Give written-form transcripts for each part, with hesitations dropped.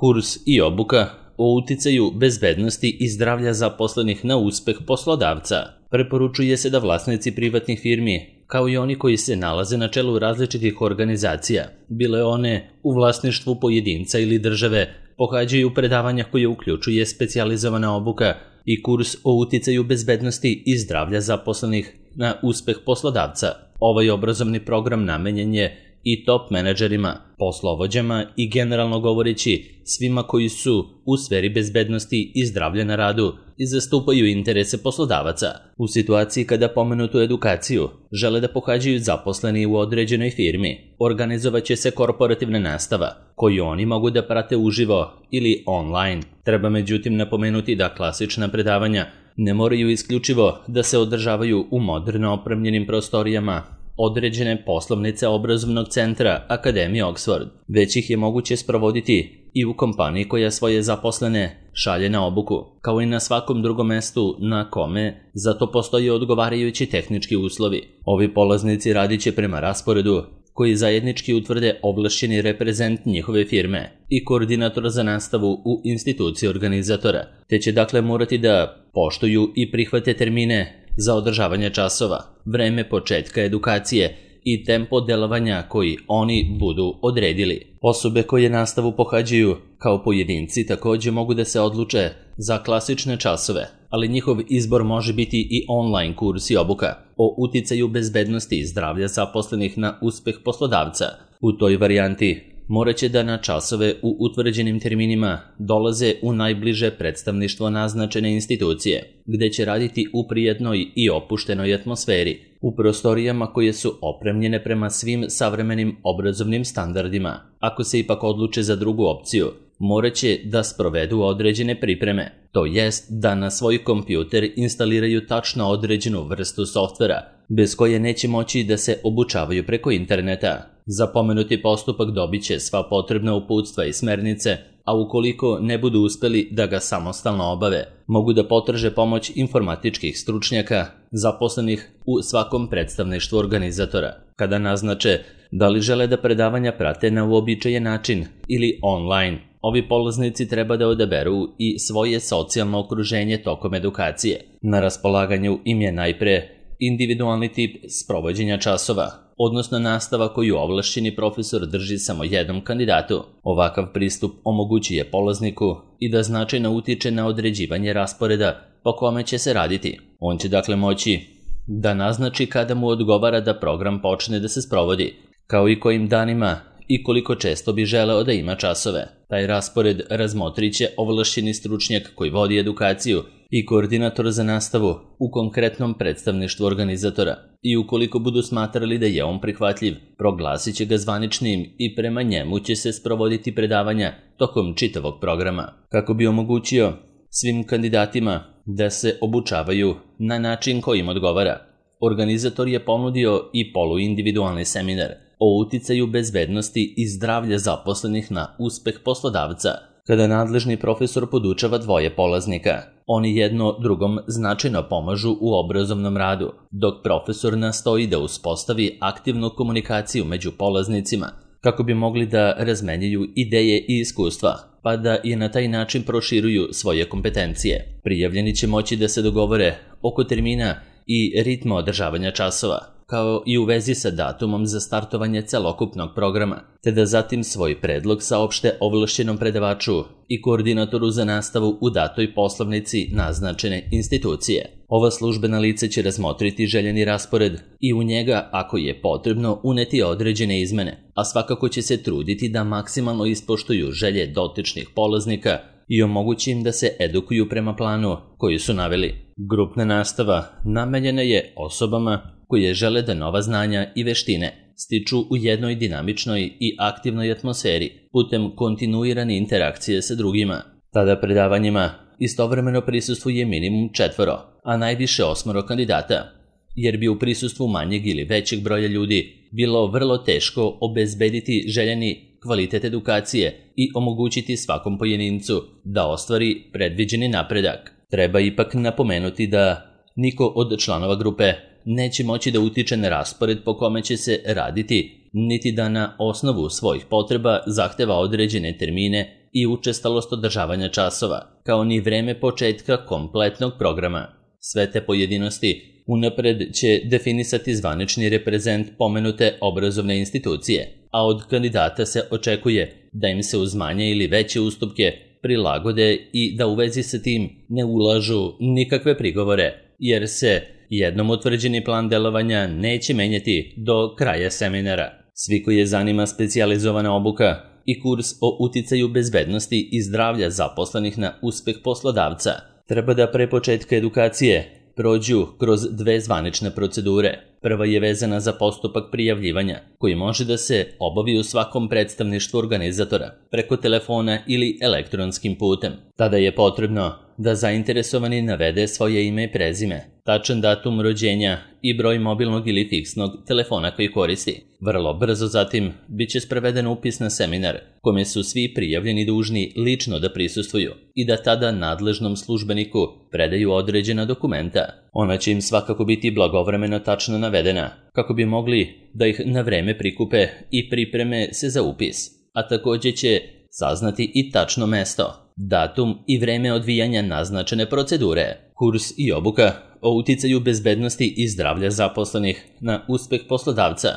Kurs i obuka o uticaju bezbednosti i zdravlja zaposlenih na uspeh poslodavca. Preporučuje se da vlasnici privatnih firmi, kao i oni koji se nalaze na čelu različitih organizacija, bile one u vlasništvu pojedinca ili države, pohađaju predavanja koje uključuje specijalizovana obuka i kurs o uticaju bezbednosti i zdravlja zaposlenih na uspeh poslodavca. Ovaj obrazovni program namenjen je i top menadžerima, poslovođama i generalno govoreći svima koji su u sferi bezbednosti i zdravlja na radu i zastupaju interese poslodavaca. U situaciji kada pomenutu edukaciju žele da pohađaju zaposleni u određenoj firmi, organizovaće se korporativna nastava, koju oni mogu da prate uživo ili online. Treba međutim napomenuti da klasična predavanja ne moraju isključivo da se održavaju u moderno opremljenim prostorijama određene poslovnice obrazovnog centra Akademije Oxford, već ih je moguće sprovoditi i u kompaniji koja svoje zaposlene šalje na obuku, kao i na svakom drugom mestu na kome za to postoje odgovarajući tehnički uslovi. Ovi polaznici radit će prema rasporedu koji zajednički utvrde ovlašćeni reprezent njihove firme i koordinator za nastavu u instituciji organizatora, te će dakle morati da poštuju i prihvate termine za održavanje časova, vreme početka edukacije i tempo delovanja koji oni budu odredili. Osobe koje nastavu pohađaju kao pojedinci također mogu da se odluče za klasične časove, ali njihov izbor može biti i online kurs i obuka o uticaju bezbednosti i zdravlja zaposlenih na uspeh poslodavca. U toj varijanti morat će da na časove u utvrđenim terminima dolaze u najbliže predstavništvo naznačene institucije, gde će raditi u prijatnoj i opuštenoj atmosferi, u prostorijama koje su opremljene prema svim savremenim obrazovnim standardima. Ako se ipak odluče za drugu opciju, morat će da sprovedu određene pripreme, to jest da na svoj kompjuter instaliraju tačno određenu vrstu softvera, bez koje neće moći da se obučavaju preko interneta. Za pomenuti postupak dobit će sva potrebna uputstva i smernice, a ukoliko ne budu uspeli da ga samostalno obave, mogu da potraže pomoć informatičkih stručnjaka zaposlenih u svakom predstavništvu organizatora. Kada naznače da li žele da predavanja prate na uobičajen način ili online, ovi polaznici treba da odaberu i svoje socijalno okruženje tokom edukacije. Na raspolaganju im je najpre individualni tip sprovođenja časova, odnosno nastava koju ovlašćeni profesor drži samo jednom kandidatu. Ovakav pristup omogućuje polazniku i da značajno utiče na određivanje rasporeda po kome će se raditi. On će dakle moći da naznači kada mu odgovara da program počne da se sprovodi, kao i kojim danima i koliko često bi želeo da ima časove. Taj raspored razmotrit će ovlašćeni stručnjak koji vodi edukaciju i koordinator za nastavu u konkretnom predstavništvu organizatora i ukoliko budu smatrali da je on prihvatljiv, proglasit će ga zvaničnim i prema njemu će se sprovoditi predavanja tokom čitavog programa. Kako bi omogućio svim kandidatima da se obučavaju na način koji im odgovara, organizator je ponudio i poluindividualni seminar o uticaju bezbednosti i zdravlja zaposlenih na uspeh poslodavca. Kada nadležni profesor podučava dvoje polaznika, oni jedno drugom značajno pomažu u obrazovnom radu, dok profesor nastoji da uspostavi aktivnu komunikaciju među polaznicima kako bi mogli da razmenjuju ideje i iskustva, pa da i na taj način proširuju svoje kompetencije. Prijavljeni će moći da se dogovore oko termina i ritma održavanja časova, kao i u vezi sa datumom za startovanje celokupnog programa, te da zatim svoj predlog saopšte ovlašćenom predavaču i koordinatoru za nastavu u datoj poslovnici naznačene institucije. Ova službena lice će razmotriti željeni raspored i u njega, ako je potrebno, uneti određene izmene, a svakako će se truditi da maksimalno ispoštuju želje dotičnih polaznika i omogući im da se edukuju prema planu koji su naveli. Grupna nastava namenjena je osobama koje žele da nova znanja i veštine stiču u jednoj dinamičnoj i aktivnoj atmosferi putem kontinuirane interakcije sa drugima. Tada predavanjima istovremeno prisustvuje minimum 4, a najviše 8 kandidata, jer bi u prisustvu manjeg ili većeg broja ljudi bilo vrlo teško obezbediti željeni kvalitet edukacije i omogućiti svakom pojedincu da ostvari predviđeni napredak. Treba ipak napomenuti da niko od članova grupe neće moći da utiče na raspored po kome će se raditi, niti da na osnovu svojih potreba zahteva određene termine i učestalost održavanja časova, kao ni vreme početka kompletnog programa. Sve te pojedinosti unapred će definisati zvanični reprezent pomenute obrazovne institucije, a od kandidata se očekuje da im se uz manje ili veće ustupke prilagode i da u vezi sa tim ne ulažu nikakve prigovore, jer se jednom utvrđeni plan delovanja neće menjati do kraja seminara. Svi koji je zanima specijalizovana obuka i kurs o uticaju bezbednosti i zdravlja zaposlenih na uspeh poslodavca treba da pre početka edukacije prođu kroz 2 zvanične procedure. Prva je vezana za postupak prijavljivanja, koji može da se obavi u svakom predstavništvu organizatora, preko telefona ili elektronskim putem. Tada je potrebno da zainteresovani navede svoje ime i prezime, tačan datum rođenja i broj mobilnog ili fiksnog telefona koji koristi. Vrlo brzo zatim biće sproveden upis na seminar, kome su svi prijavljeni dužni lično da prisustvuju i da tada nadležnom službeniku predaju određena dokumenta. Ona će im svakako biti blagovremeno tačno navedena, kako bi mogli da ih na vreme prikupe i pripreme se za upis, a takođe će saznati i tačno mesto, datum i vreme odvijanja naznačene procedure. Kurs i obuka o uticaju bezbednosti i zdravlja zaposlenih na uspeh poslodavca,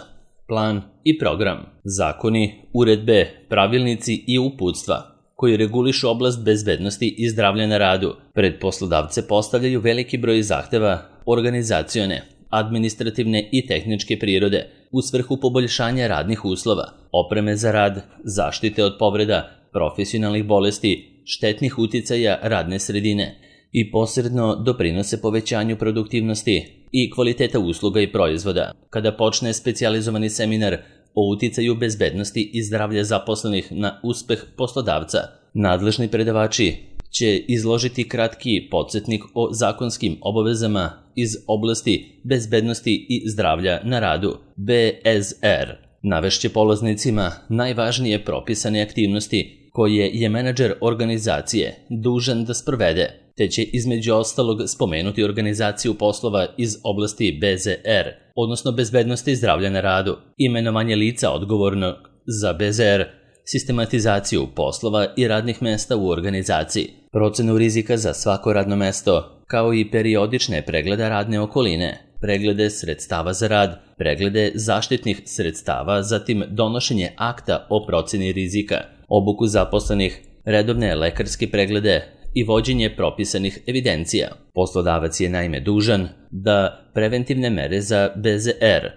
plan i program, zakoni, uredbe, pravilnici i uputstva koji regulišu oblast bezbednosti i zdravlja na radu, pred poslodavce postavljaju veliki broj zahteva organizacione, administrativne i tehničke prirode u svrhu poboljšanja radnih uslova, opreme za rad, zaštite od povreda, profesionalnih bolesti, štetnih uticaja radne sredine i posredno doprinose povećanju produktivnosti i kvaliteta usluga i proizvoda. Kada počne specijalizovani seminar o uticaju bezbednosti i zdravlja zaposlenih na uspeh poslodavca, nadležni predavači će izložiti kratki podsjetnik o zakonskim obavezama iz oblasti bezbednosti i zdravlja na radu, BSR. Navešće polaznicima najvažnije propisane aktivnosti koje je menadžer organizacije dužan da sprovede, te će između ostalog spomenuti organizaciju poslova iz oblasti BZR, odnosno bezbednosti i zdravlja na radu, imenovanje lica odgovornog za BZR, sistematizaciju poslova i radnih mesta u organizaciji, procenu rizika za svako radno mesto, kao i periodične preglede radne okoline, preglede sredstava za rad, preglede zaštitnih sredstava, zatim donošenje akta o proceni rizika, obuku zaposlenih, redovne lekarske preglede i vođenje propisanih evidencija. Poslodavac je naime dužan da preventivne mere za BZR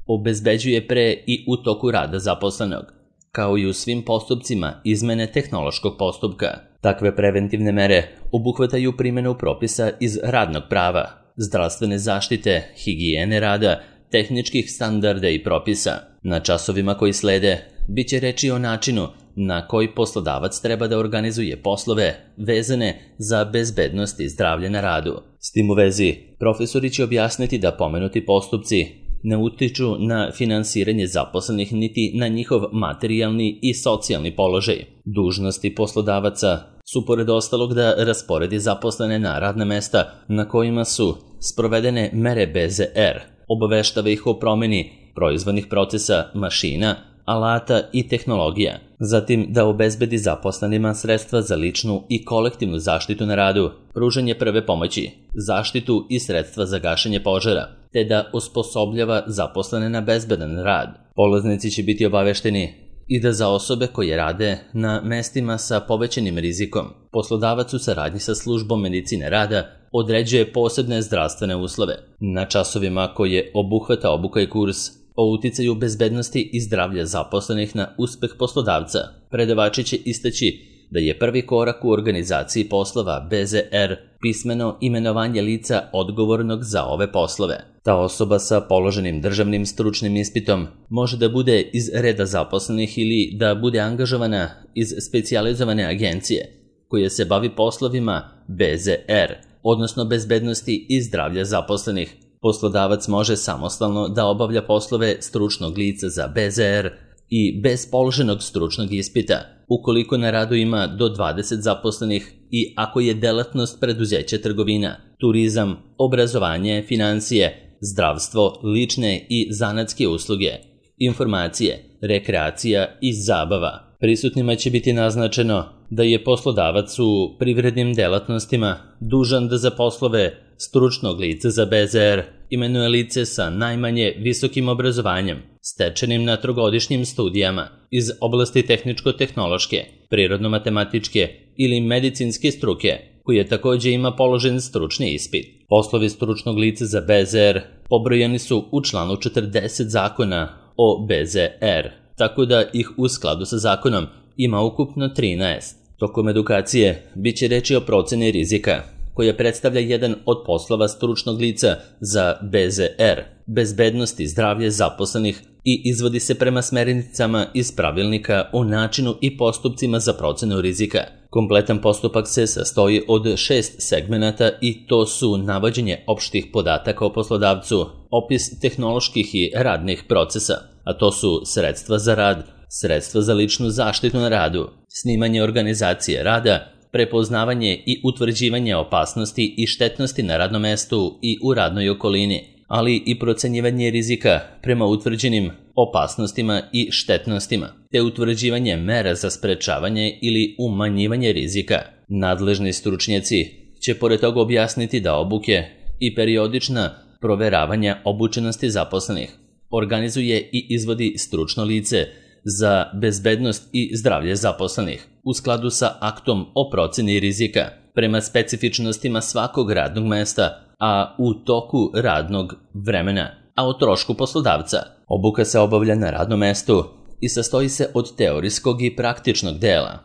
obezbeđuje pre i u toku rada zaposlenog, kao i u svim postupcima izmene tehnološkog postupka. Takve preventivne mere obuhvataju primjenu propisa iz radnog prava, zdravstvene zaštite, higijene rada, tehničkih standarda i propisa. Na časovima koji slede biće reči o načinu na koji poslodavac treba da organizuje poslove vezane za bezbednost i zdravlje na radu. S tim u vezi, profesori će objasniti da pomenuti postupci ne utiču na finansiranje zaposlenih niti na njihov materijalni i socijalni položaj. Dužnosti poslodavaca su pored ostalog da rasporedi zaposlene na radna mesta na kojima su sprovedene mere BZR, obaveštava ih o promeni proizvodnih procesa, mašina, alata i tehnologija, zatim da obezbedi zaposlenima sredstva za ličnu i kolektivnu zaštitu na radu, pružanje prve pomoći, zaštitu i sredstva za gašenje požara, te da osposobljava zaposlene na bezbedan rad. Polaznici će biti obavešteni i da za osobe koje rade na mestima sa povećanim rizikom, poslodavac u saradnji sa službom medicine rada određuje posebne zdravstvene uslove. Na časovima koje obuhvata obuka i kurs o uticaju bezbednosti i zdravlja zaposlenih na uspeh poslodavca, predavači će istaći da je prvi korak u organizaciji poslova BZR pismeno imenovanje lica odgovornog za ove poslove. Ta osoba sa položenim državnim stručnim ispitom može da bude iz reda zaposlenih ili da bude angažovana iz specijalizovane agencije koja se bavi poslovima BZR, odnosno bezbednosti i zdravlja zaposlenih. Poslodavac može samostalno da obavlja poslove stručnog lica za BZR i bez položenog stručnog ispita, ukoliko na radu ima do 20 zaposlenih i ako je delatnost preduzeća trgovina, turizam, obrazovanje, financije, zdravstvo, lične i zanatske usluge, informacije, rekreacija i zabava. Prisutnima će biti naznačeno da je poslodavac u privrednim delatnostima dužan da za poslove stručnog lica za BZR imenuje lice sa najmanje visokim obrazovanjem, stečenim na trogodišnjim studijama iz oblasti tehničko-tehnološke, prirodno-matematičke ili medicinske struke, koji takođe ima položen stručni ispit. Poslovi stručnog lica za BZR pobrojani su u članu 40 zakona o BZR, tako da ih u skladu sa zakonom ima ukupno 13. Tokom edukacije biće reči o proceni rizika, koja predstavlja jedan od poslova stručnog lica za BZR, bezbednost i zdravlje zaposlenih, i izvodi se prema smernicama iz pravilnika o načinu i postupcima za procenu rizika. Kompletan postupak se sastoji od 6 segmenata i to su navođenje opštih podataka o poslodavcu, opis tehnoloških i radnih procesa, a to su sredstva za rad, sredstva za ličnu zaštitu na radu, snimanje organizacije rada, prepoznavanje i utvrđivanje opasnosti i štetnosti na radnom mestu i u radnoj okolini, ali i procenjivanje rizika prema utvrđenim opasnostima i štetnostima, te utvrđivanje mera za sprečavanje ili umanjivanje rizika. Nadležni stručnjaci će pored toga objasniti da obuke i periodična proveravanja obučenosti zaposlenih organizuje i izvodi stručno lice za bezbednost i zdravlje zaposlenih u skladu sa aktom o proceni rizika prema specifičnostima svakog radnog mesta, a u toku radnog vremena, a o trošku poslodavca. Obuka se obavlja na radnom mestu i sastoji se od teorijskog i praktičnog dela.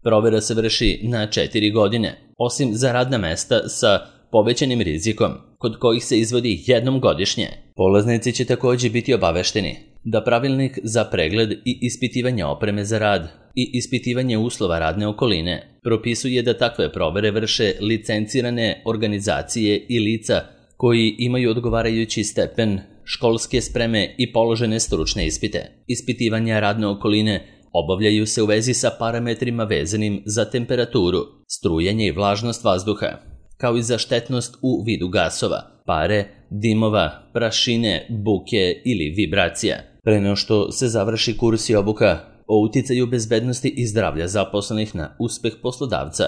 Provera se vrši na 4 godine, osim za radna mesta sa povećanim rizikom, kod kojih se izvodi jednom godišnje. Polaznici će takođe biti obavešteni da pravilnik za pregled i ispitivanje opreme za rad i ispitivanje uslova radne okoline propisuje da takve provere vrše licencirane organizacije i lica koji imaju odgovarajući stepen školske spreme i položene stručne ispite. Ispitivanja radne okoline obavljaju se u vezi sa parametrima vezanim za temperaturu, strujanje i vlažnost vazduha, kao i za štetnost u vidu gasova, pare, dimova, prašine, buke ili vibracija. Pre nego što se završi kurs i obuka o uticaju bezbednosti i zdravlja zaposlenih na uspeh poslodavca,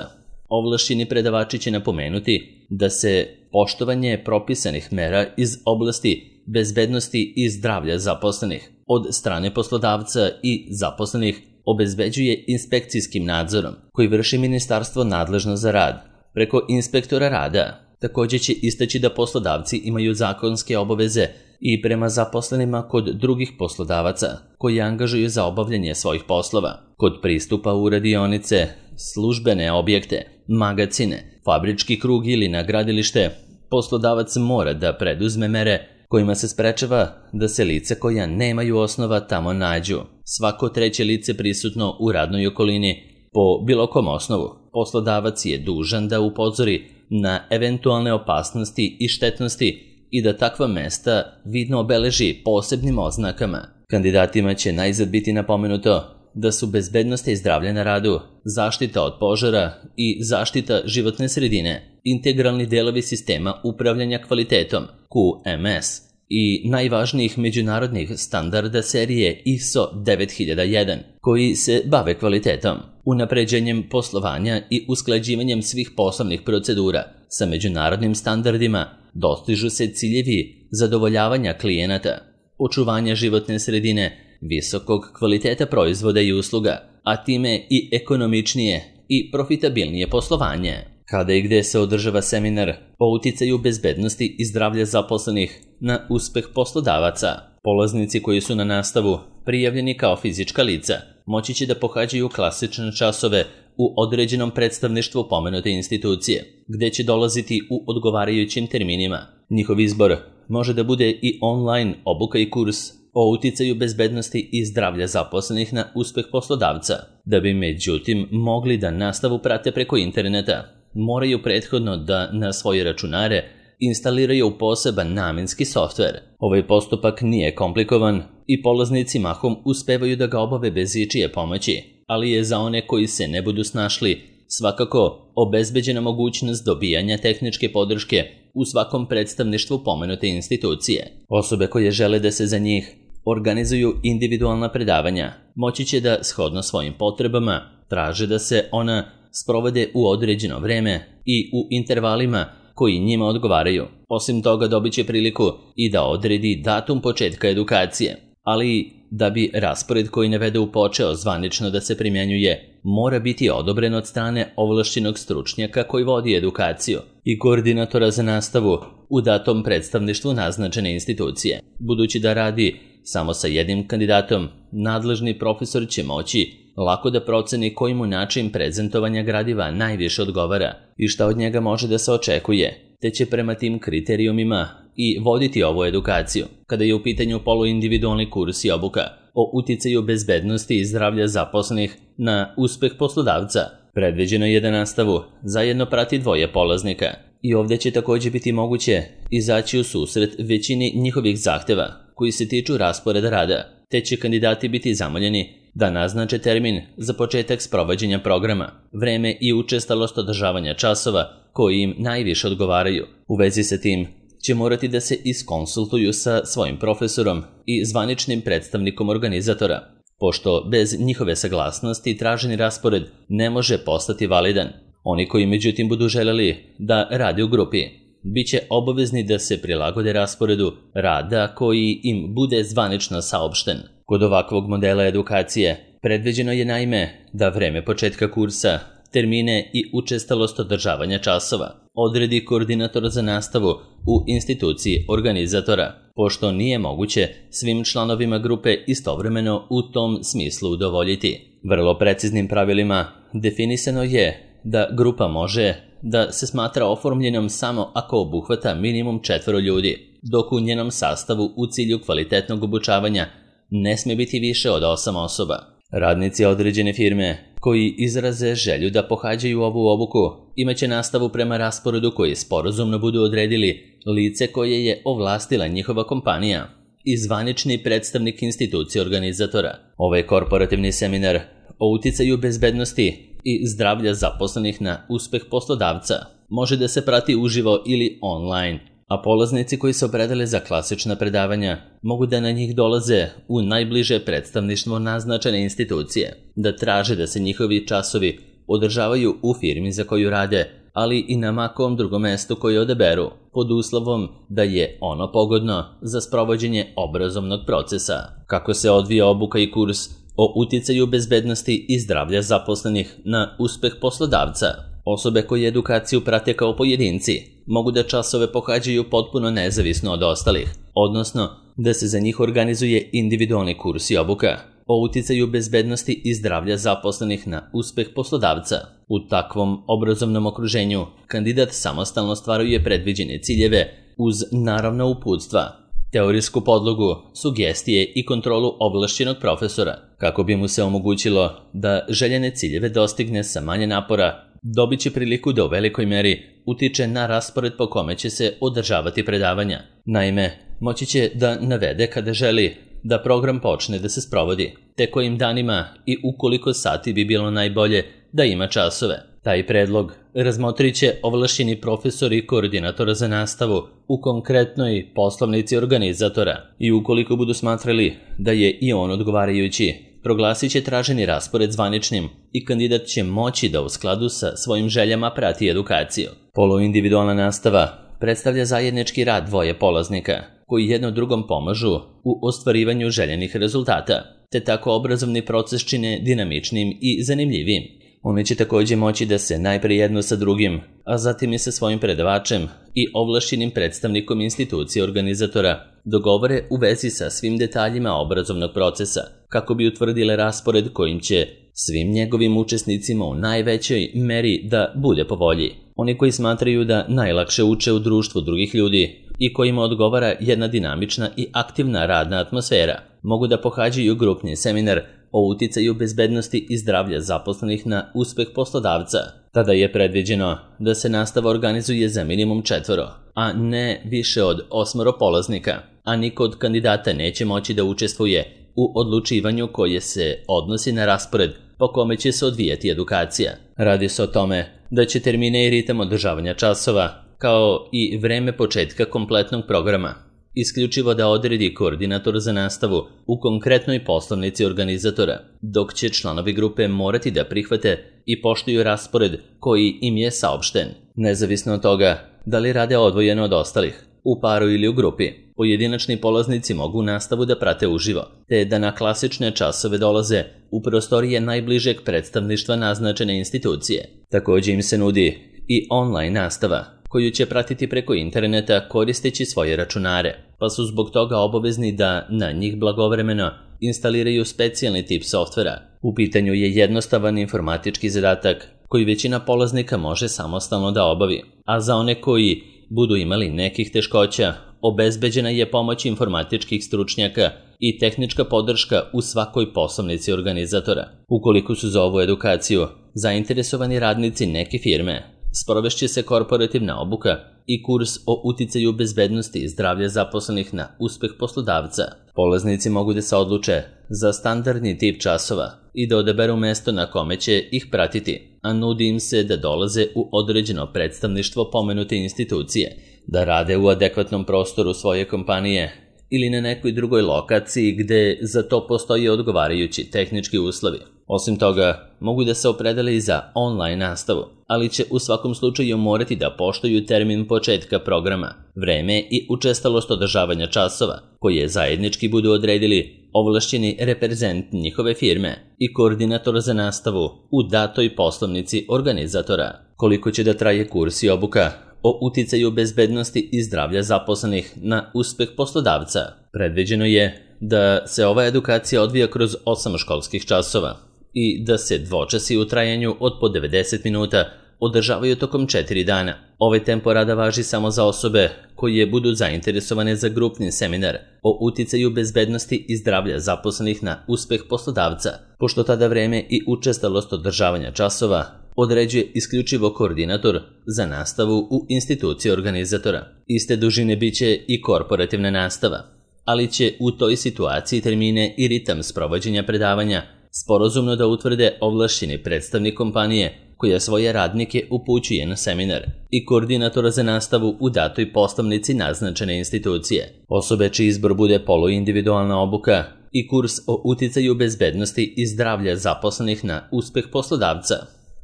ovlašćeni predavači će napomenuti da se poštovanje propisanih mera iz oblasti bezbednosti i zdravlja zaposlenih od strane poslodavca i zaposlenih obezbeđuje inspekcijskim nadzorom koji vrši ministarstvo nadležno za rad preko inspektora rada. Takođe će istaći da poslodavci imaju zakonske obaveze i prema zaposlenima kod drugih poslodavaca koji angažuju za obavljanje svojih poslova, kod pristupa u radionice, službene objekte, magacine, fabrički krug ili na gradilište. Poslodavac mora da preduzme mere kojima se sprečava da se lice koja nemaju osnova tamo nađu. Svako treće lice prisutno u radnoj okolini po bilo kom osnovu. Poslodavac je dužan da upozori na eventualne opasnosti i štetnosti i da takva mesta vidno obeleži posebnim oznakama. Kandidatima će najzad biti napomenuto da su bezbednost i zdravlje na radu, zaštita od požara i zaštita životne sredine integralni delovi sistema upravljanja kvalitetom QMS i najvažnijih međunarodnih standarda serije ISO 9001 koji se bave kvalitetom, unapređenjem poslovanja i usklađivanjem svih poslovnih procedura sa međunarodnim standardima. Dostižu se ciljevi zadovoljavanja klijenata, očuvanja životne sredine, visokog kvaliteta proizvoda i usluga, a time i ekonomičnije i profitabilnije poslovanje. Kada i gde se održava seminar o uticaju bezbednosti i zdravlja zaposlenih na uspeh poslodavaca, polaznici koji su na nastavu prijavljeni kao fizička lica moći će da pohađaju klasične časove u određenom predstavništvu pomenute institucije, gde će dolaziti u odgovarajućim terminima. Njihov izbor može da bude i online obuka i kurs o uticaju bezbednosti i zdravlja zaposlenih na uspeh poslodavca. Da bi međutim mogli da nastavu prate preko interneta, moraju prethodno da na svoje računare instaliraju poseban namenski softver. Ovaj postupak nije komplikovan i polaznici mahom uspevaju da ga obave bez ičije pomoći, ali je za one koji se ne budu snašli svakako obezbeđena mogućnost dobijanja tehničke podrške u svakom predstavništvu pomenute institucije. Osobe koje žele da se za njih organizuju individualna predavanja moći će da, shodno svojim potrebama, traže da se ona sprovode u određeno vreme i u intervalima koji njima odgovaraju. Osim toga dobit će priliku i da odredi datum početka edukacije, ali da bi raspored koji navedu počeo zvanično da se primjenjuje, mora biti odobren od strane ovlašćenog stručnjaka koji vodi edukaciju i koordinatora za nastavu u datom predstavništvu naznačene institucije. Budući da radi samo sa jednim kandidatom, nadležni profesor će moći lako da proceni koji mu način prezentovanja gradiva najviše odgovara i šta od njega može da se očekuje, te će prema tim kriterijumima i voditi ovu edukaciju. Kada je u pitanju poluindividualni kurs i obuka o uticaju bezbednosti i zdravlja zaposlenih na uspeh poslodavca, predviđeno je da nastavu zajedno prati 2 polaznika i ovdje će također biti moguće izaći u susret većini njihovih zahteva koji se tiču rasporeda rada, te će kandidati biti zamoljeni da naznače termin za početak sprovođenja programa, vreme i učestalost održavanja časova koji im najviše odgovaraju. U vezi sa tim će morati da se iskonsultuju sa svojim profesorom i zvaničnim predstavnikom organizatora, pošto bez njihove saglasnosti traženi raspored ne može postati validan. Oni koji međutim budu želeli da rade u grupi, bit će obavezni da se prilagode rasporedu rada koji im bude zvanično saopšten. Kod ovakvog modela edukacije predviđeno je naime da vreme početka kursa, termine i učestalost održavanja časova odredi koordinator za nastavu u instituciji organizatora, pošto nije moguće svim članovima grupe istovremeno u tom smislu udovoljiti. Vrlo preciznim pravilima definisano je da grupa može da se smatra oformljenom samo ako obuhvata minimum 4 ljudi, dok u njenom sastavu u cilju kvalitetnog obučavanja ne smije biti više od 8 osoba. Radnici određene firme koji izraze želju da pohađaju ovu obuku imaće nastavu prema rasporedu koji sporazumno budu odredili lice koje je ovlastila njihova kompanija i zvanični predstavnik institucije organizatora. Ovaj korporativni seminar o uticaju bezbednosti i zdravlja zaposlenih na uspeh poslodavca može da se prati uživo ili online, a polaznici koji se opredele za klasična predavanja mogu da na njih dolaze u najbliže predstavništvo naznačene institucije, da traže da se njihovi časovi održavaju u firmi za koju rade, ali i na makom drugom mestu koje odaberu, pod uslovom da je ono pogodno za sprovođenje obrazovnog procesa. Kako se odvija obuka i kurs o uticaju bezbednosti i zdravlja zaposlenih na uspeh poslodavca? Osobe koje edukaciju prate kao pojedinci mogu da časove pohađaju potpuno nezavisno od ostalih, odnosno da se za njih organizuje individualni kurs i obuka o uticaju bezbednosti i zdravlja zaposlenih na uspeh poslodavca. U takvom obrazovnom okruženju kandidat samostalno ostvaruje predviđene ciljeve uz naravno uputstva, teorijsku podlogu, sugestije i kontrolu ovlašćenog profesora, kako bi mu se omogućilo da željene ciljeve dostigne sa manje napora. Dobit će priliku da u velikoj meri utiče na raspored po kome će se održavati predavanja. Naime, moći će da navede kada želi da program počne da se sprovodi, te kojim danima i u koliko sati bi bilo najbolje da ima časove. Taj predlog razmotrit će ovlašćeni profesor i koordinator za nastavu u konkretnoj poslovnici organizatora i ukoliko budu smatrali da je i on odgovarajući, proglasit će traženi raspored zvaničnim i kandidat će moći da u skladu sa svojim željama prati edukaciju. Poluindividualna nastava predstavlja zajednički rad 2 polaznika koji jedno drugom pomažu u ostvarivanju željenih rezultata, te tako obrazovni proces čine dinamičnim i zanimljivim. Oni će također moći da se najprije jedno sa drugim, a zatim i sa svojim predavačem i ovlašćenim predstavnikom institucije organizatora dogovore u vezi sa svim detaljima obrazovnog procesa, kako bi utvrdile raspored kojim će svim njegovim učesnicima u najvećoj meri da bude po volji. Oni koji smatraju da najlakše uče u društvu drugih ljudi i kojima odgovara jedna dinamična i aktivna radna atmosfera, mogu da pohađaju grupni seminar o uticaju bezbednosti i zdravlja zaposlenih na uspeh poslodavca. Tada je predviđeno da se nastava organizuje za minimum 4, a ne više od 8 polaznika, a niko od kandidata neće moći da učestvuje u odlučivanju koje se odnosi na raspored po kome će se odvijati edukacija. Radi se o tome da će termine i ritam održavanja časova, kao i vreme početka kompletnog programa, isključivo da odredi koordinator za nastavu u konkretnoj poslovnici organizatora, dok će članovi grupe morati da prihvate i poštuju raspored koji im je saopšten, nezavisno od toga da li rade odvojeno od ostalih, u paru ili u grupi. Pojedinačni polaznici mogu nastavu da prate uživo, te da na klasične časove dolaze u prostorije najbližeg predstavništva naznačene institucije. Također im se nudi i online nastava, koju će pratiti preko interneta koristeći svoje računare, pa su zbog toga obavezni da na njih blagovremeno instaliraju specijalni tip softvera. U pitanju je jednostavan informatički zadatak koji većina polaznika može samostalno da obavi, a za one koji budu imali nekih teškoća, obezbeđena je pomoć informatičkih stručnjaka i tehnička podrška u svakoj poslovnici organizatora. Ukoliko su za ovu edukaciju zainteresovani radnici neke firme, sprovešće se korporativna obuka i kurs o uticaju bezbednosti i zdravlja zaposlenih na uspeh poslodavca. Polaznici mogu da se odluče za standardni tip časova i da odaberu mesto na kome će ih pratiti, a nudi im se da dolaze u određeno predstavništvo pomenute institucije, da rade u adekvatnom prostoru svoje kompanije ili na nekoj drugoj lokaciji gde za to postoji odgovarajući tehnički uslovi. Osim toga, mogu da se opredele i za online nastavu, ali će u svakom slučaju morati da poštuju termin početka programa, vreme i učestalost održavanja časova, koje zajednički budu odredili ovlašćeni reprezent njihove firme i koordinator za nastavu u datoj poslovnici organizatora. Koliko će da traje kurs i obuka o uticaju bezbednosti i zdravlja zaposlenih na uspeh poslodavca? Predviđeno je da se ova edukacija odvija kroz 8 školskih časova i da se dvočasi u trajanju od po 90 minuta održavaju tokom 4 dana. Ovaj tempo rada važi samo za osobe koje budu zainteresovane za grupni seminar o uticaju bezbednosti i zdravlja zaposlenih na uspeh poslodavca, pošto tada vreme i učestalost održavanja časova određuje isključivo koordinator za nastavu u instituciji organizatora. Iste dužine biće i korporativna nastava, ali će u toj situaciji termine i ritam sprovođenja predavanja sporazumno da utvrde ovlašćeni predstavnik kompanije koja svoje radnike upućuje na seminar i koordinatora za nastavu u datoj poslovnici naznačene institucije. Osobe čiji izbor bude poluindividualna obuka i kurs o uticaju bezbednosti i zdravlja zaposlenih na uspeh poslodavca,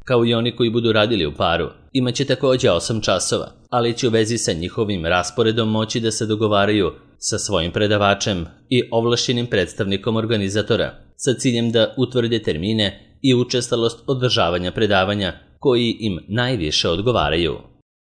kao i oni koji budu radili u paru, imaće također 8 časova, ali će u vezi sa njihovim rasporedom moći da se dogovaraju sa svojim predavačem i ovlašćenim predstavnikom organizatora sa ciljem da utvrde termine i učestalost održavanja predavanja koji im najviše odgovaraju.